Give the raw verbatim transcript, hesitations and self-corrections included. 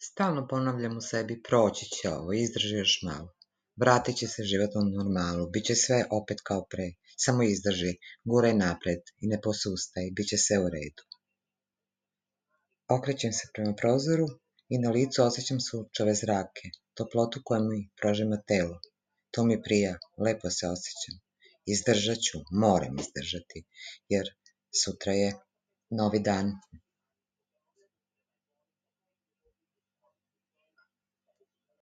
Stalno ponavljam u sebi, proći će ovo, izdrži još malo. Vratit će se život u normalu, bit će sve opet kao pre. Samo izdrži, guraj napred i ne posustaj, bit će sve u redu. Okrećem se prema prozoru i na licu osjećam sunčeve zrake, toplotu koja mi prožima telo. To mi prija, lepo se osjećam. Izdržat ću, moram izdržati, jer sutra je novi dan.